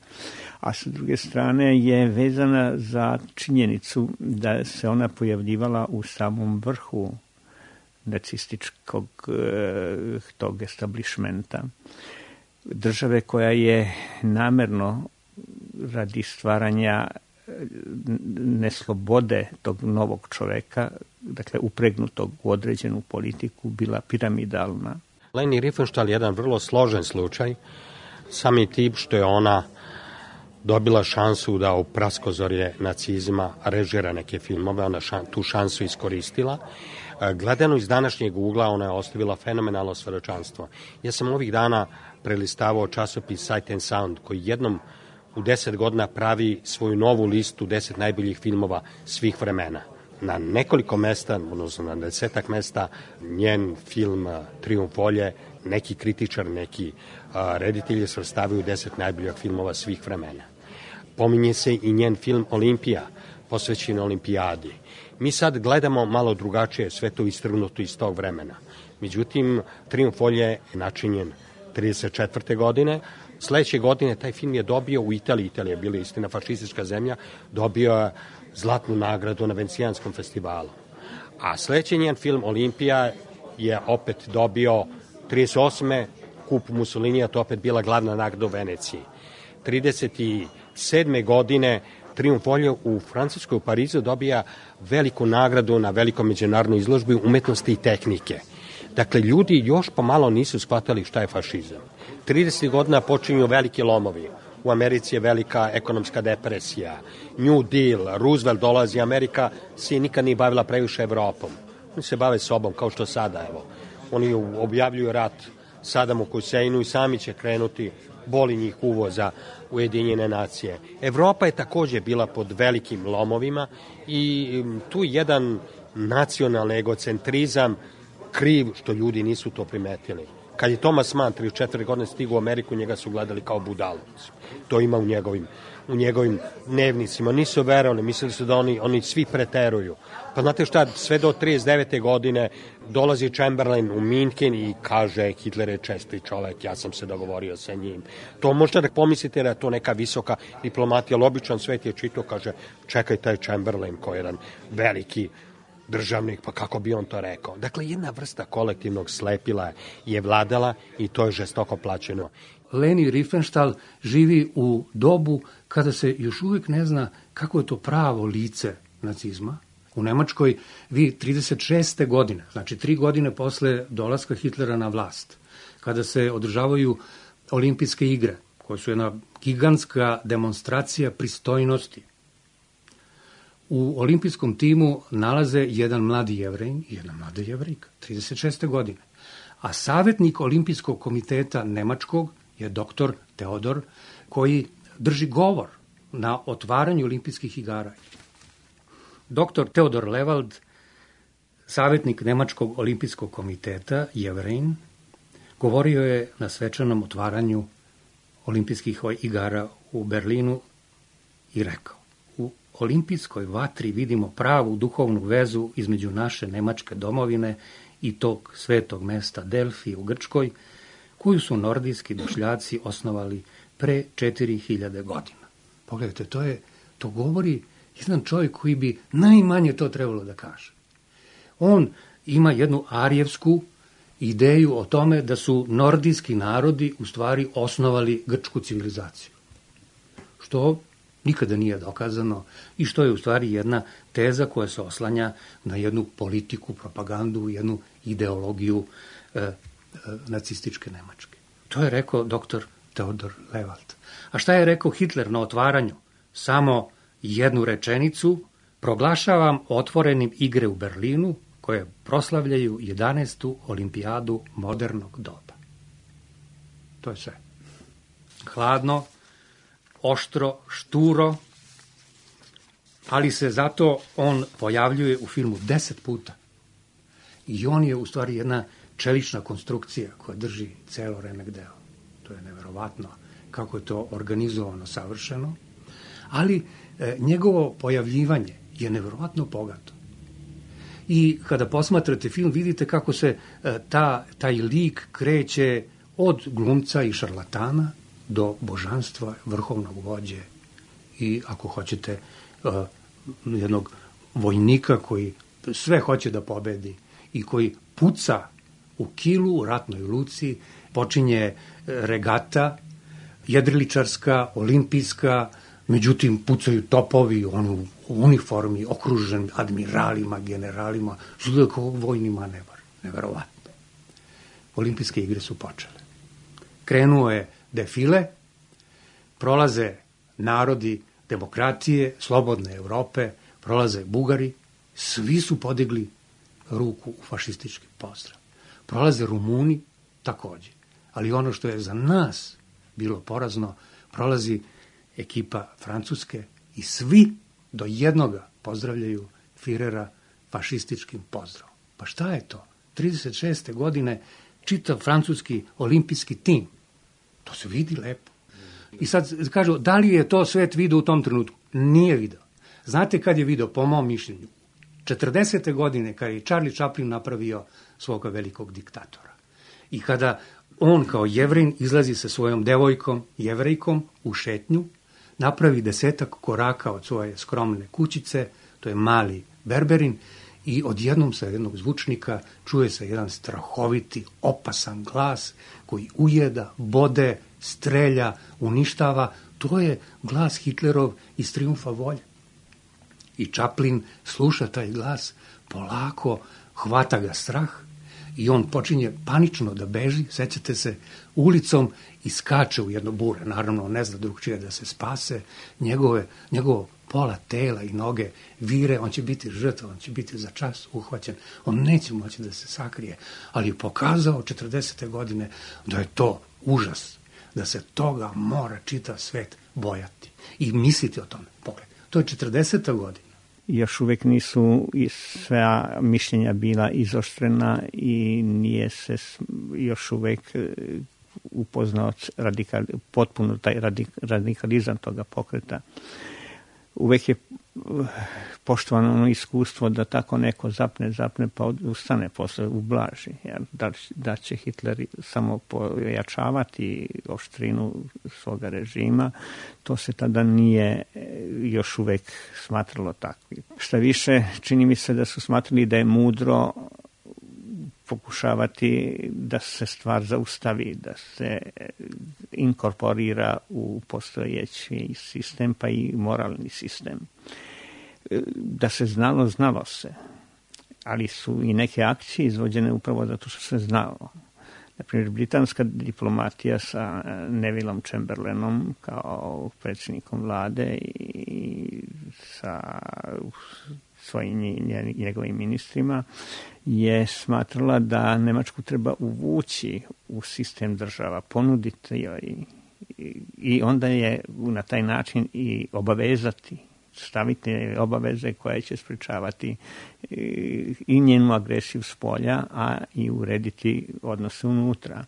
a sa druge strane je vezana za činjenicu da se ona pojavljivala u samom vrhu nacističkog tog establishmenta. Države koja je namerno radi stvaranja neslobode tog novog čoveka, dakle upregnutog u određenu politiku, bila piramidalna. Leni Riefenstahl je jedan vrlo složen slučaj, sami tip što je ona dobila šansu da u praskozorje nacizma režira neke filmove, ona tu šansu iskoristila. Gledano iz današnjeg ugla, ona je ostavila fenomenalno svedočanstvo. Ja sam ovih dana prelistavao časopis Sight and Sound, koji jednom u 10 godina pravi svoju novu listu 10 najboljih filmova svih vremena. Na nekoliko mesta, odnosno na 10-ak mesta, njen film Trijumf volje, neki kritičar, neki reditelji svrstavaju 10 najboljih filmova svih vremena. Pominje se i njen film Olimpija, posvećen olimpijadi. Mi sad gledamo malo drugačije, sve to istrgnuto iz tog vremena. Međutim, Trijumf volje je načinjen 1934. godine. Sledeće godine taj film je dobio u Italiji, Italija je bila istina fašistička zemlja, dobio je zlatnu nagradu na Venecijanskom festivalu. A sledeći njen film Olimpija je opet dobio 38. kup Mussolinija, to opet bila glavna nagrada u Veneciji. 37. godine Trijumf volje u Francuskoj u Parizu dobija veliku nagradu na velikom međunarodnoj izložbi umetnosti i tehnike. Dakle, ljudi još pomalo nisu shvatali šta je fašizam. 30 godina počinju veliki lomovi. U Americi je velika ekonomska depresija. New Deal, Roosevelt dolazi, Amerika se nikad nije bavila previše Evropom. Oni se bave sobom, kao što sada, evo. Oni objavljuju rat Sadamu Huseinu i sami će krenuti, boli njih uvoza Ujedinjene nacije. Evropa je takođe bila pod velikim lomovima i tu jedan nacionalni egocentrizam kriv što ljudi nisu to primetili. Kad je Thomas Mann 34 godine stigao u Ameriku, njega su gledali kao budalu. To ima u njegovim dnevnicima. Nisu verovali, mislili su da oni svi preteruju. Pa znate šta, sve do 39. godine dolazi Chamberlain u Minhen i kaže Hitler je česti čovek, ja sam se dogovorio sa njim. To možete da pomislite da je to neka visoka diplomatija, ali običan svet je čito, kaže čekaj taj Chamberlain koji je jedan veliki državnik, pa kako bi on to rekao. Dakle, jedna vrsta kolektivnog slepila je vladala i to je žestoko plaćeno. Leni Riefenstahl živi u dobu kada se još uvijek ne zna kako je to pravo lice nacizma. U Nemačkoj vi 36. godine, znači 3 godine posle dolaska Hitlera na vlast, kada se održavaju olimpijske igre, koje su jedna gigantska demonstracija pristojnosti, u olimpijskom timu nalaze jedan mladi Jevrejin i jedna mlada Jevrejka, 36. godine. A savjetnik olimpijskog komiteta nemačkog je doktor Teodor, koji drži govor na otvaranju olimpijskih igara. Doktor Teodor Lewald, savjetnik nemačkog olimpijskog komiteta, Jevrejin, govorio je na svečanom otvaranju olimpijskih igara u Berlinu i rekao: u olimpijskoj vatri vidimo pravu duhovnu vezu između naše nemačke domovine i tog svetog mesta Delfi u Grčkoj, koju su nordijski došljaci osnovali pre 4000 godina. Pogledajte, to govori jedan čovjek koji bi najmanje to trebalo da kaže. On ima jednu arijevsku ideju o tome da su nordijski narodi u stvari osnovali grčku civilizaciju. Što nikada nije dokazano i što je u stvari jedna teza koja se oslanja na jednu politiku, propagandu, jednu ideologiju nacističke Nemačke. To je rekao doktor Teodor Lewald. A šta je rekao Hitler na otvaranju? Samo jednu rečenicu: proglašavam otvorenim igre u Berlinu koje proslavljaju 11. olimpijadu modernog doba. To je sve. Hladno, oštro, šturo, ali se zato on pojavljuje u filmu 10 puta. I on je u stvari jedna čelična konstrukcija koja drži celo remek delo. To je neverovatno kako je to organizovano, savršeno, ali njegovo pojavljivanje je neverovatno bogato. I kada posmatrate film, vidite kako se taj lik kreće od glumca i šarlatana do božanstva, vrhovnog vođe i, ako hoćete, jednog vojnika koji sve hoće da pobedi i koji puca u Kilu, u ratnoj luci, počinje regata, jedriličarska, olimpijska, međutim pucaju topovi, on u uniformi, okružen admiralima, generalima, što je kao vojni manevar, neverovatno. Olimpijske igre su počele. Krenuo je defile, prolaze narodi demokratije, slobodne Evrope, prolaze Bugari, svi su podigli ruku u fašistički pozdrav. Prolaze Rumuni takođe. Ali ono što je za nas bilo porazno, prolazi ekipa Francuske i svi do jednoga pozdravljaju Firera fašističkim pozdravom. Pa šta je to? 36. godine čitav francuski olimpijski tim. To se vidi lepo. I sad kažu, da li je to svet video u tom trenutku? Nije video. Znate kad je video, po mom mišljenju? 40. godine, kada je Charlie Chaplin napravio svoga velikog diktatora. I kada on kao Jevrin izlazi sa svojom devojkom, Jevrejkom, u šetnju, napravi 10 koraka od svoje skromne kućice, to je mali Berberin, i odjednom sa jednog zvučnika čuje se jedan strahoviti, opasan glas koji ujeda, bode, strelja, uništava. To je glas Hitlerov iz Trijumfa volje. I Chaplin sluša taj glas, polako hvata ga strah i on počinje panično da beži, sećate se, ulicom i skače u jedno bure. Naravno, on ne zna drugčije da se spase. Njegovo pola tela i noge vire, on će biti žrtva, on će biti za čas uhvaćen, on neće moći da se sakrije, ali je pokazao 40. godine da je to užas, da se toga mora čitav svet bojati i misliti o tome. Pogled, to je 40. godina. Još uvek nisu sva mišljenja bila izoštrena i nije se još uvek upoznao potpuno taj radikalizam toga pokreta. Uvek je poštovano ono iskustvo da tako neko zapne pa ustane posle, ublaži. Da će Hitler samo pojačavati oštrinu svoga režima, to se tada nije još uvek smatralo takvim. Šta više, čini mi se da su smatrali da je mudro pokušavati da se stvar zaustavi, da se inkorporira u postojeći sistem, pa i moralni sistem. Da se znalo se, ali su i neke akcije izvođene upravo zato što se znalo. Naprimjer, britanska diplomatija sa Nevillom Chamberlainom kao predsjednikom vlade i sa svojim njegovim ministrima je smatrala da Nemačku treba uvući u sistem država, ponuditi joj i onda je na taj način i obavezati, staviti obaveze koje će sprečavati i njenu agresiju s polja, a i urediti odnose unutra.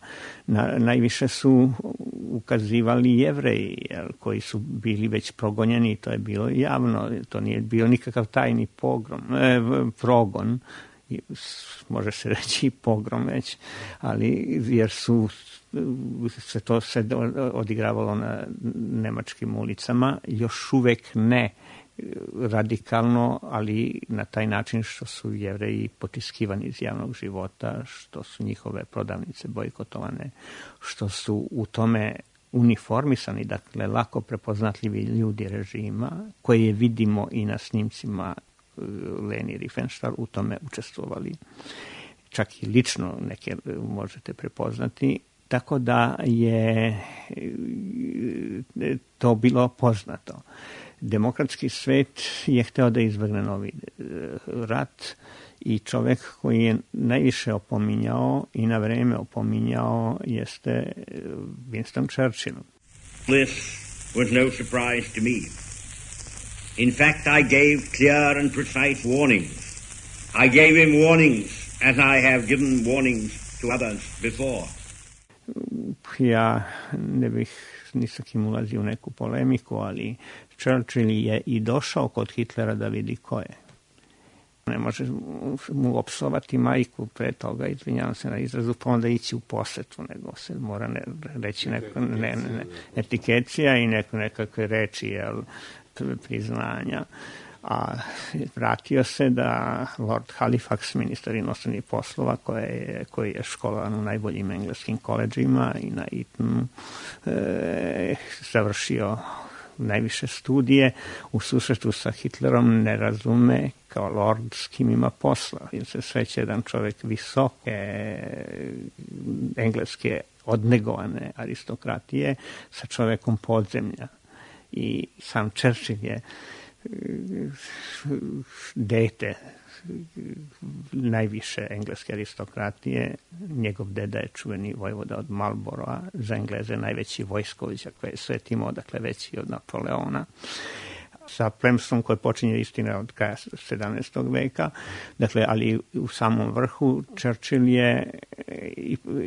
Najviše su ukazivali Jevreji koji su bili već progonjeni i to je bilo javno, to nije bio nikakav tajni progon, može se reći pogrom već, ali jer se to odigravalo na nemačkim ulicama, još uvek ne radikalno, ali na taj način što su Jevreji potiskivani iz javnog života, što su njihove prodavnice bojkotovane, što su u tome uniformisani, dakle lako prepoznatljivi ljudi režima, koje vidimo i na snimcima Leni Riefenstahl u tome učestvovali. Čak i lično neke možete prepoznati, tako da je to bilo poznato. Demokratski svet je hteo da izbegne novi rat i čovek koji je najviše opominjao i na vreme opominjao jeste Winston Churchill. This was no surprise to me. In fact, I gave clear and precise warnings. I gave him warnings as I have given warnings to others before. Ja ne bih ni sa kim ulazio u neku polemiku, ali Churchill je i došao kod Hitlera da vidi ko je. Ne može mu opsovati majku pre toga, izvinjavam se na izrazu, pa onda ići u posetu, nego se mora reći etikecija i nekakve reči priznanja. A vratio se da Lord Halifax, ministar inostranih poslova, koji je školovan u najboljim engleskim koledžima i na Etonu završio najviše studije, u susretu sa Hitlerom ne razume kao lord s kim ima posla. Jer se sreće jedan čovjek visoke engleske odnegovane aristokratije sa čovjekom podzemlja. I sam Churchill je dete najviše engleske aristokratije. Njegov deda je čuveni vojvoda od Marlborougha, za Engleze najveći vojskovođa koji je svet imao, dakle veći od Napoleona. Sa plemstvom koje počinje istina od kraja 17. veka, dakle, ali u samom vrhu Churchill je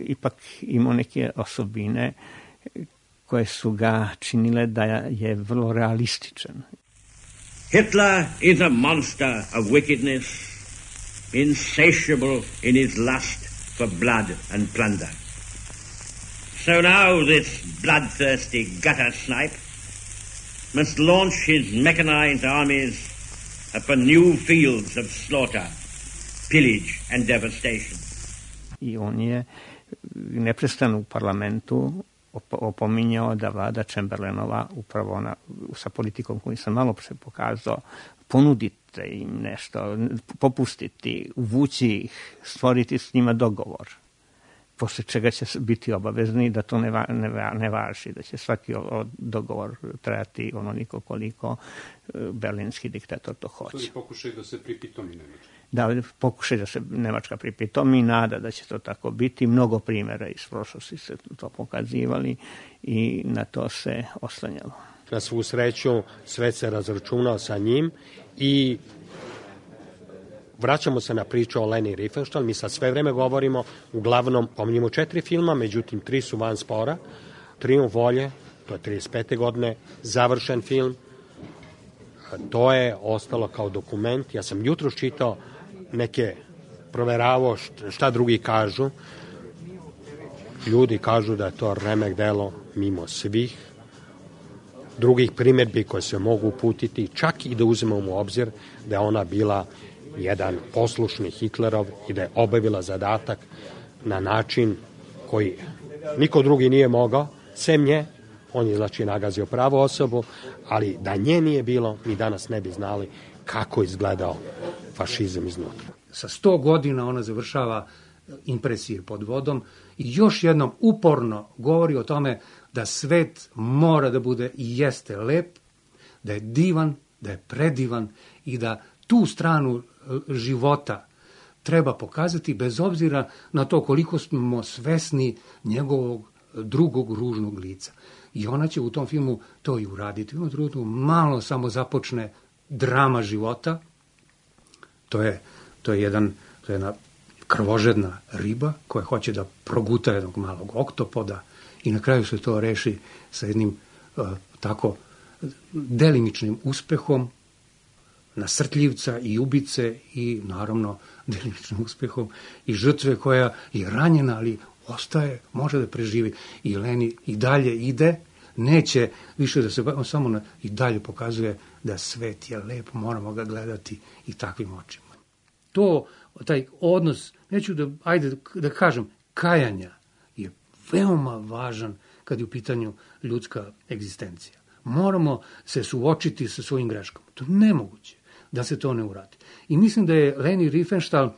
ipak imao neke osobine koje su ga činile da je vrlo realističan. Hitler is a monster of wickedness, insatiable in his lust for blood and plunder. So now this bloodthirsty gutter snipe must launch his mechanized armies upon new fields of slaughter, pillage and devastation. I on je neprestano u parlamentu opominjao da vlada Chamberlainova upravo sa politikom koju sam malo pre pokazao, ponudite im nešto, popustiti, uvući ih, stvoriti s njima dogovor, posle čega će biti obavezni da to ne važi, da će svaki dogovor trajati onoliko koliko berlinski diktator to hoće. To je pokušaj da se pripitomi Nemačka. Da, pokušaj da se Nemačka pripitomi, nada da će to tako biti. Mnogo primjera iz prošlosti se to pokazivali i na to se oslanjalo. Na svu sreću svet se razračunao sa njim i vraćamo se na priču o Leni Riefenstahl. Mi sad sve vreme govorimo, uglavnom pominjemo 4 filma, međutim 3 su van spora. Trijumf volje, to je 35. godine, završen film. To je ostalo kao dokument. Ja sam jutros čitao neke, proveravao šta drugi kažu. Ljudi kažu da je to remek delo mimo svih drugih primjedbi koje se mogu uputiti, čak i da uzmemo u obzir da je ona bila jedan poslušni Hitlerov i da je obavila zadatak na način koji niko drugi nije mogao, sem nje. On je znači nagazio pravu osobu, ali da nje nije bilo, mi danas ne bi znali kako izgledao fašizam iznutra. Sa 100 godina ona završava Impresije pod vodom i još jednom uporno govori o tome da svet mora da bude i jeste lep, da je divan, da je predivan i da tu stranu života treba pokazati bez obzira na to koliko smo svesni njegovog drugog ružnog lica. I ona će u tom filmu to i uraditi. U jednom trenutku malo samo započne drama života. To je jedna krvožedna riba koja hoće da proguta jednog malog oktopoda i na kraju se to reši sa jednim tako delimičnim uspehom nasrtljivca i ubice i naravno delimičnim uspehom i žrtve koja je ranjena, ali ostaje, može da preživi. I Leni i dalje ide, neće više da se samo i dalje pokazuje da svet je lep, moramo ga gledati i takvim očima. Taj odnos, neću da kažem, kajanja je veoma važan kad je u pitanju ljudska egzistencija. Moramo se suočiti sa svojim greškama. To je nemoguće da se to ne uradi. I mislim da je Leni Riefenstahl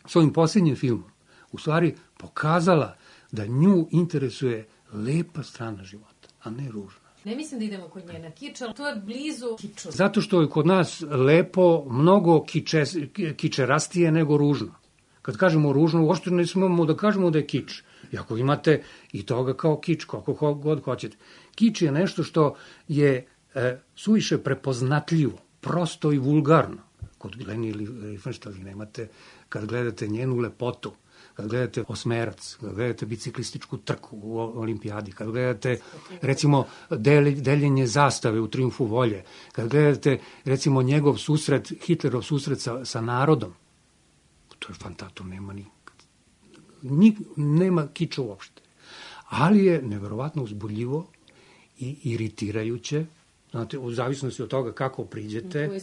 svojim posljednjim filmom u stvari pokazala da nju interesuje lepa strana života, a ne ružna. Ne mislim da idemo kod njena kiča, to je blizu kiču. Zato što je kod nas lepo mnogo kičerastije nego ružno. Kad kažemo ružno, uopšte ne smemo da kažemo da je kič. I ako imate i toga kao kič, kako god hoćete. Kič je nešto što je suviše prepoznatljivo, prosto i vulgarno. Kod Leni Riefenstahl nemate, kad gledate njenu lepotu, kad gledate Osmerac, kad gledate biciklističku trku u olimpijadi, kad gledate, recimo, deljenje zastave u Trijumfu volje, kad gledate, recimo, njegov susret, Hitlerov susret sa narodom, to je fantasto, nema kiča uopšte. Ali je neverovatno uzbudljivo i iritirajuće Znate, u zavisnosti od toga kako priđete,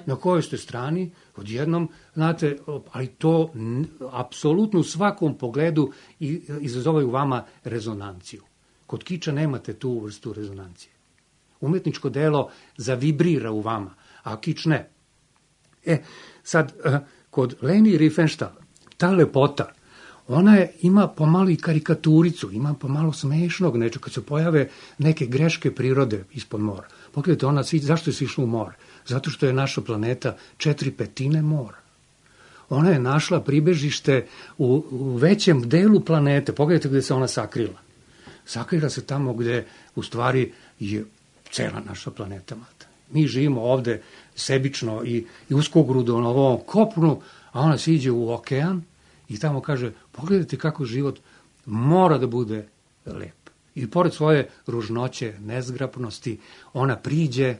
na kojoj ste strani, odjednom, znate, ali to apsolutno u svakom pogledu izazove u vama rezonanciju. Kod kiča nemate tu vrstu rezonancije. Umetničko delo zavibrira u vama, a kič ne. Sad, kod Leni Riefenstahl, ta lepota, ona ima pomalo i karikaturicu, ima pomalo smešnog nečega, kad se pojave neke greške prirode ispod mora. Pogledajte, zašto je se išla u more? Zato što je naša planeta 4/5 mora. Ona je našla pribežište u većem delu planete. Pogledajte gde se ona sakrila. Sakrila se tamo gde u stvari je cela naša planeta mata. Mi živimo ovde sebično i uskogrudo na ovom kopnu, a ona se iđe u okean i tamo kaže, pogledajte kako život mora da bude lep. I pored svoje ružnoće, nezgrapnosti, ona priđe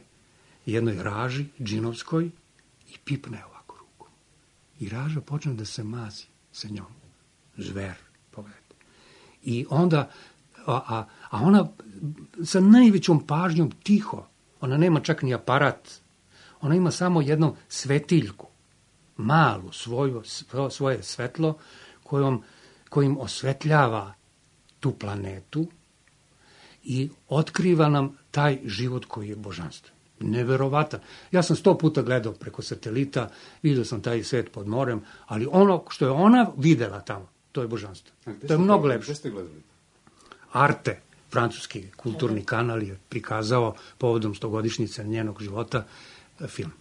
jednoj raži, džinovskoj, i pipne ovako ruku. I raža počne da se mazi sa njom. Zver, pogledajte. I onda, a ona sa najvećom pažnjom tiho, ona nema čak ni aparat, ona ima samo jednu svetiljku, malu svoje svetlo, kojim osvetljava tu planetu i otkriva nam taj život koji je božanstven. Neverovatan. Ja sam 100 puta gledao preko satelita, vidio sam taj svet pod morem, ali ono što je ona videla tamo, to je božanstvo. To je mnogo lepše. Gde ste gledali? Arte, francuski kulturni kanal, je prikazao povodom 100-godišnjice njenog života film.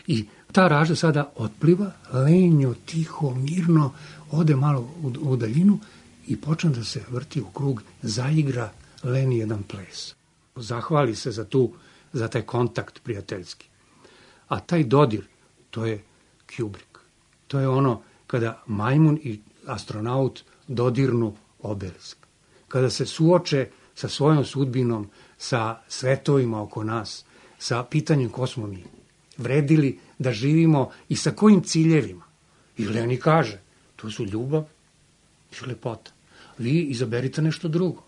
I ta raža sada otpliva, lenjo, tiho, mirno, ode malo u daljinu i počne da se vrti u krug, zaigra Leni jedan ples. Zahvali se za taj kontakt prijateljski. A taj dodir, to je Kubrick. To je ono kada majmun i astronaut dodirnu obelisk. Kada se suoče sa svojom sudbinom, sa svetovima oko nas, sa pitanjem ko smo mi. Vredili da živimo i sa kojim ciljevima. I Leni kaže, to su ljubav i lepota. Vi izaberite nešto drugo.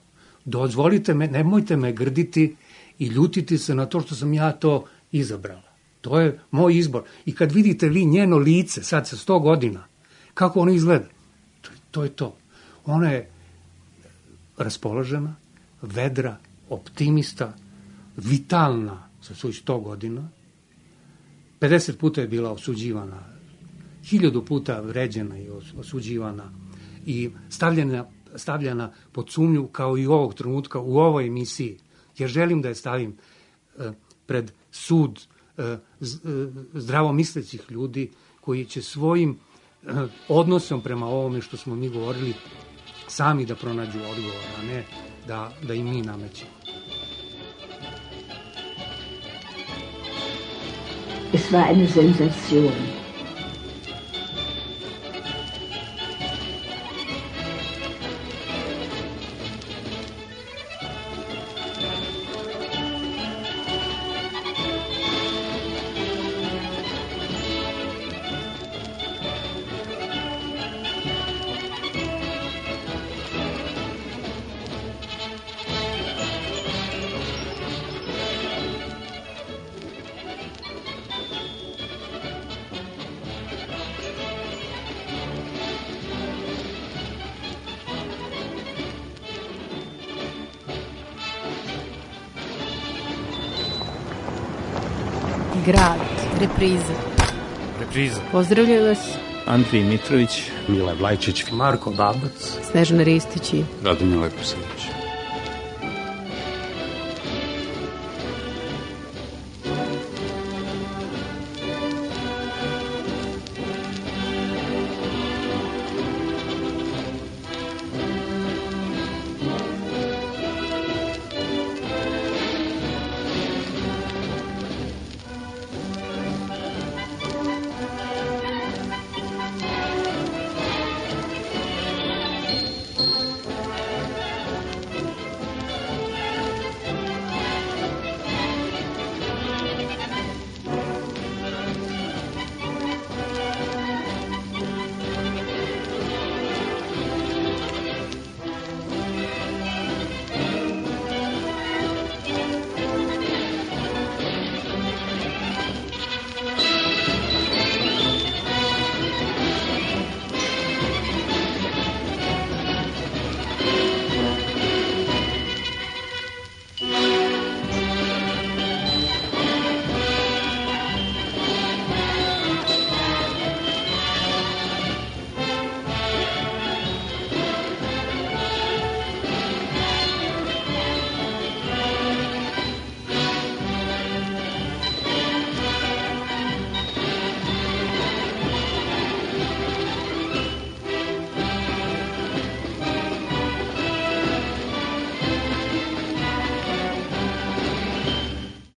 Dozvolite me, nemojte me grditi i ljutiti se na to što sam ja to izabrala. To je moj izbor. I kad vidite vi njeno lice, sad sa 100 godina, kako ono izgleda, to je to. Ona je raspoložena, vedra, optimista, vitalna sa svojih 100 godina. 50 puta je bila osuđivana, 1000 puta vređena i osuđivana i stavljena pod sumnju kao i ovog trenutka u ovoj emisiji. Ja želim da je stavim pred sud zdravomislećih ljudi koji će svojim odnosom prema ovome što smo mi govorili sami da pronađu odgovor, a ne da im mi namećemo. Es war eine Sensation. Grad, repriza. Repriza. Pozdravljaju vas Andrij Mitrović, Mile Vlajčić, Marko Babac, Snežana Ristić i Radomir Leposavić.